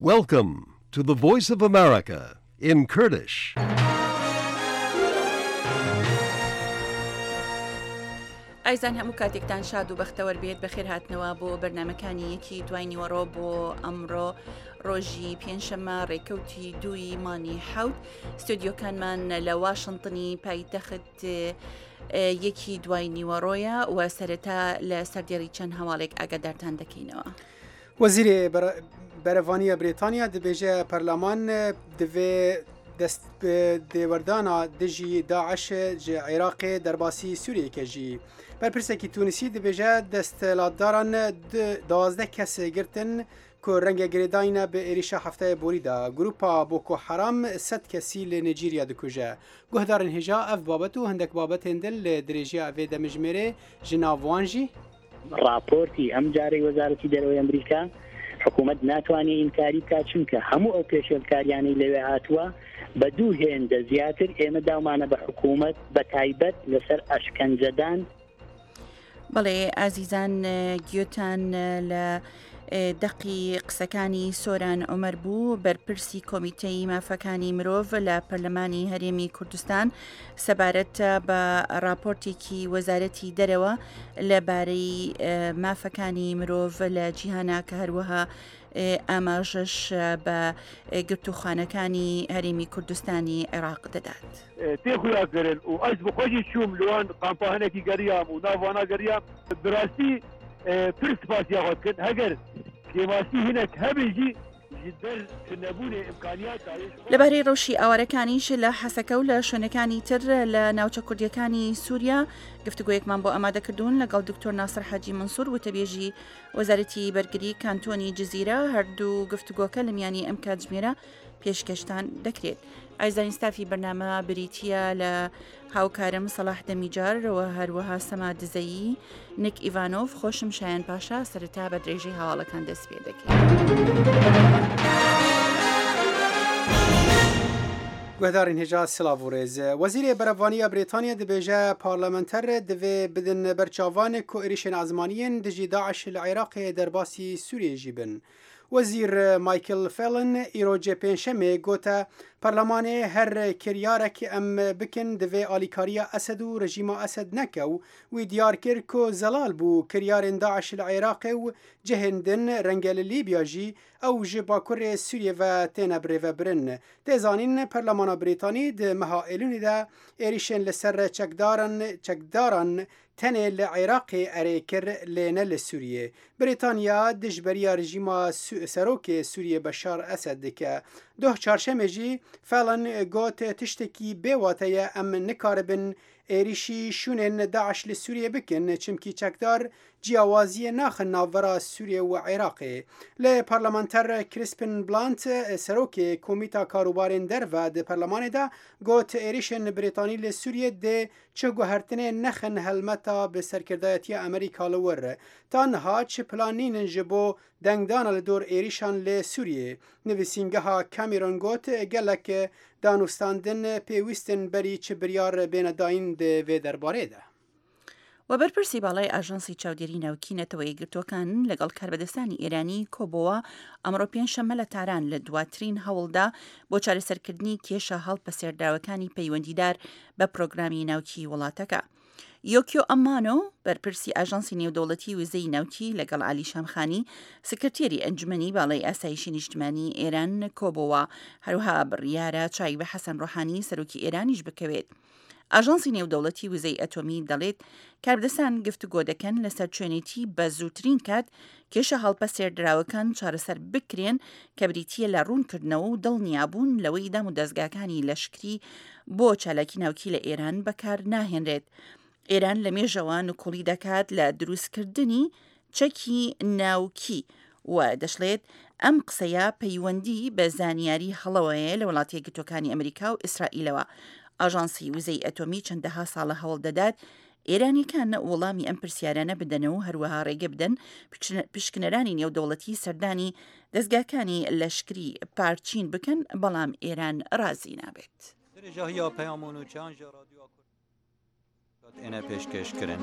Welcome to the Voice of America in Kurdish. ئایزان هەموو کاتێکتان شاد و بەختەوەر بێت بەخێر هاتنەوە بۆ بەرنمەکانی یەکی دوای نیوەڕۆ بۆ ئەمڕۆ ڕۆژی پێنجشەممە ڕێکەوتی دووی مانی حوت ستۆدیۆکانمان لە واشنتنی پایتەخت یەکی دوای نیوەڕۆیە و سەرەتا لە سەردێڕی چەند هەواڵێک ئاگادارتان دەکەینەوە. وەزیرێ بەرەڤانیە برێتانیا دبێژە پەرلەمان divê dest dêwerdana dijî DAIŞ ji Iraqê derbasî Sûriyê ke jî. Berpirsekî Tûnisî dibêje desthilatdaran 12 kes girtin ku renge girêdayîne bi êrîşa hefteyê borî de. Grûpa Boko Haram sed kesî li Nîcîrya dikuje. Guhdarên hêja ev babet û hindek babetên din li dirêjiya vê demijmêrê ji nav wan jî. ڕاپۆرتی ئەم جارەی وەزارەتی دەرەوەی ئەمریکا حکوومەت ناتوانێت ئینکاری بکات چونکە هەموو ئەو پێشێلکاریانەی لەوێ هاتووە بە دوو هێندە زیاتر ئێمە داومانە بە حکوومەت بە تایبەت لەسەر ئەشکەنجەدان. بەڵێ ئازیزان گوێتان لە دەقی قسەکانی سۆران عومەر بوو، بەرپرسی کۆمیتەی مافەکانی مرۆڤ لە پەرلەمانی هەرێمی کوردستان سەبارەت بە ڕاپۆرتێکی وەزارەتی دەرەوە لەبارەی مافەکانی مرۆڤ لە جیهانا کە هەروەها ئاماژەش بە گرتووخانەکانی هەرێمی کوردستانی عێراق دەدات. تێ خویا کرن û ez bi xwe jî çûm li wan kampa hinekî geriyam û nav wana geriyam. Bi rastî pir spasiya xwe dikin. Heger kêmasî hinek hebe jî ji ber tunebûnê îmkaniyat dayê ji xwe. لەبارەی ڕەوشی ئاوارەکانیش لە حەسەکە و لە شوێنەکانی تر لە ناوچە کوردییەکانی سووریا گفتوگۆیەکمان بۆ ئامادە کردوون لەگەڵ دکتۆر ناسر حاجی مەنسوور وتەبێژی وەزارەتی بەرگری کانتۆنی جزیرە هەردوو گفتوگۆکە لە میانی ئەم کاتژمێرە پێشکەشتان دەکرێت. ئایزانی ستافی بەرنامە بریتییە لە هاوکارم سەڵاح دەمیجار و هەروەها سەما دزەیی، نیک ئیڤانۆڤ، خۆشم شایان پاشا، سەرەتا بە درێژەی هەواڵەکان دەست پێ دەکەین. Guhdarên hêja silav û rêz. Wezîrê Berevaniya Brîtanya dibêje parlamenter divê bidin ber çavan ku êrişên ezmanî yên dijî DAIŞ li Iraqê derbasî Sûriyeyê jî bin. Wezîr Michael Fallon îro cê Pêncşemê gote Parlemanê her kiryarek em bikin divê alîkariya Esed û rejîma Esed neke û wî diyar kir ku zelal bû kiryarên DAIŞ li Iraqê û cihên din renge li Lîbya jî ew ji bakurê Sûriyê ve têne birêvebirin. Tê zanîn Parlemana Brîtanî di meha Êlûnê de êrîşên li ser çekdaran çekdaran Tenê li Iraqê erê kir lê ne li Sûriyê. Brîtanya dijberiya rejîma Serokê Sûriyê Beşar Esed dike. Doh çarşemê jî Fallon got tiştekî bê wate ye em nikaribin êrîşî şûnên DAIŞ li Sûriyê bikin çimkî çekdar ciyawaziyê naxin navbera Sûriyê û Iraqê. Lê parlamenter Crispin Blunt Serokê Komîta Karûbarên Derve di Parlemanê de got êrîşên Brîtanî li Sûriyê dê Çi guhertinê nexin helmeta bi serkirdayetiya Amerîka li wir. Ta niha çi plan nînin ji bo dengdana li dor êrîşan li Sûriyê. Nivîsîngeha Cameron got gelek danûstandin pêwîst in berî çi biryar bêne dayîn di vê derbarê de. و بەرپرسی باڵای ئاژانسی چاودێری ناوکی نەتەوە یەکگرتووەکان لەگەڵ کاربەدەستانی ئێرانی کۆبۆوە ئەمڕۆ پێنجشەممە لە تاران لە دواترین هەوڵدا بۆ چارەسەرکردنی کێشە هەڵپەسێردراوەکانی پەیوەندیدار بە پرۆگرامی ناوکی وڵاتەکە. یۆکیۆ ئەمانۆ، بەرپرسی ئاژانسی نێودەوڵەتی وزەی ناوکی لەگەڵ عەلی شامخانی، سکرتێری ئەنجومەنی باڵای ئاسایشی نیشتمانی ئێران کۆبۆوە، هەروەها بڕیارە چاوی بە حەسەن ڕۆحانی سەرۆکی ئێرانیش بکەوێت. ئاژانسی نێودەوڵەتی وزەی ئەتۆمی دەڵێت، کاربەدەستان گفتوگۆ دەکەن لەسەر چۆنێتی بە زووترین کات کێشە هەڵپەسێردراوەکان چارەسەر بکرێن کە بریتییە لە ڕوونکردنەوە و دڵنیابوون لەوەی دامودەزگاکانی لەشکری بۆ چالاکی ناوکی لە ئێران بەکار ناهێنرێت. ئێران لە مێژەوە نکوڵی دەکات لە دروستکردنی چەکی ناوکی و دەشڵێت ئەم قسەیە پەیوەندی بە زانیاری هەڵەوەیە لە وڵاتە یەکگرتووەکانی ئەمریکا و ئیسرائیلەوە. ئاژانسی وزەی ئەتۆمی چەندەها ساڵە هەوڵ دەدات ئێرانیەکان وڵامی ئەم پرسیارانە بدەنەوە و هەروەها ڕێگە بدەن پشکنەرانی نێودەوڵەتی سەردانی دەزگاکانی لەشکری پارچین بکەن، بەڵام ئێران ڕازی نابێت. درێژاهییا پەیام و نوچەیان ژە ڕادیۆ کوردستان ئێنە پێشکێش کرن.